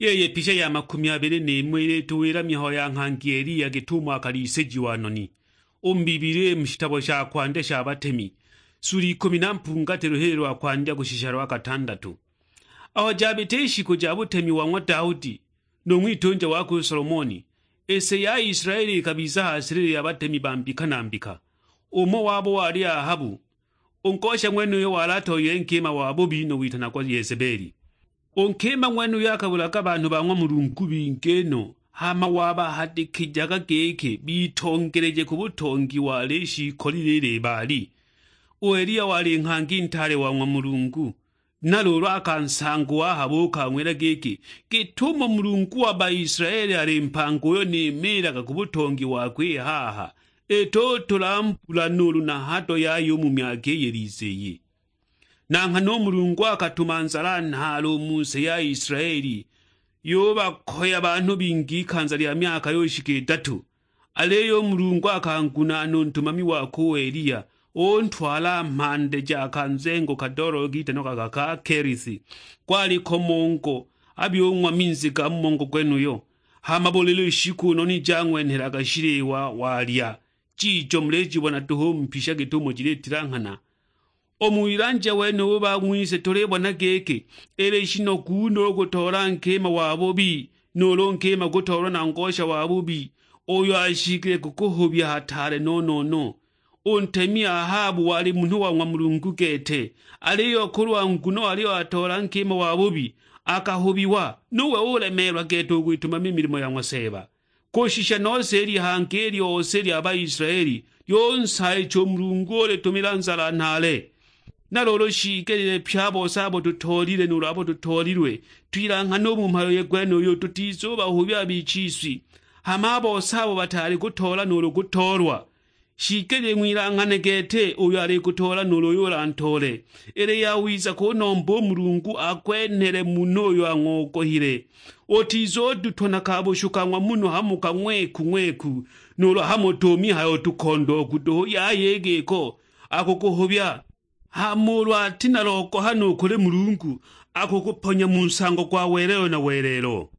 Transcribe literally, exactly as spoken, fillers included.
Yeye picha ya makumi abili n'imo ilituwila mihayo ya nghangi Eliya git'umo akalisejiwa noni, u mu Bibilia mu shitabo sha kwandya sha Batemi, suli ikumi na mpungatilo, lwa kwandya kushisha lwa katandatu. Aho jabita i shiku ja butemi wa ng'wa Daudi, nu ng'witunja wakwe u Solomoni, i si ya Israeli ikabiza ha silili ya batemi ba mbika na mbika. Umo wabo wali Ahabu, u ngosha ng'wenuyo wali atoyile nkima wa bubi nu witanagwa Yezebeli. U nkima ng'wenuyo akabulaga banhu ba ng'wa Mulungu bingi no, hama wabahadikijaga giki bitongeleje ku butongi wali shiikolile i Libaali. U Eliya wali nghangi ntaale wa ng'wa Mulungu, na luulu a ka nsango u Ahabu ukang'wila giki, "Git'umo Mulungu wa Baisilaeli ali mpanga uyo nimiilaga ku butongi wakwe i haha, itutula mbula nuulu na hado yaya u mu myaka iyi iliza iyi." Na nghana u Mulungu akatuma nzala nhaale u mu si ya Isilaeli, yubakoya banhu bingi ikanza lya myaka yo shika idatu. Aliyo u Mulungu akangunaana u ntumami wakwe u Eliya, untwala mhande ja ka nzengo kadoololo kitanagwa ka Kerisi, gwali ko mongo, a byung'wa minzi ga mu mongo gwenuyo. Hama buli lushiku noni jang'wenhelaga shiliwa walya, jijo mulijibona duhu u mu pisha git'umo jilitilanghana. U mu wilanja wenubu bang'wise tulibona giki, ili shinogu no u kutoola nkima wa bubi, nuulu nkima kutoolwa na ngosha wa bubi, uyo ashikile kukuhubya hataale no-no-no. U ntemi Ahabu wali munhu wa ng'wa Mulungu gete, aliyo kulwa nguno aliyo atoola nkima wa bubi, akahubiwa, nuwe ulemeelwa gete u kwitumama i milimo ya ng'wa Seeba. Kushisha nose i lihanga i lyose lya Baisilaeli lyunsaayicha u Mulungu ulitumila nzala nhaale. Na luulu shiigelile pye a bose abo tutoolile nuulu abo tutoolilwe, twilanghane u mu mhayo gwenuyu tutizubahubya a bichiswi. Hama a bose abo bataali kutoola nuulu kutoolwa, shiigelile ng'wilanghane gete uyo alikutoola nuulu uyo ulantoole. Ili yawiza kunomba u Mulungu akwenhele munhu uyo ang'ogohile. Utizudutwa na ka bushu ka ng'wa munhu hamo ka ng'weku ng'weku, nuulu hamo tu mihayo tukondooku duhu yaya i giko, akukuhubya. Hama ulu ati na logohano u kuli Mulungu, akukuponya mu nsango gwa welelo na welelo.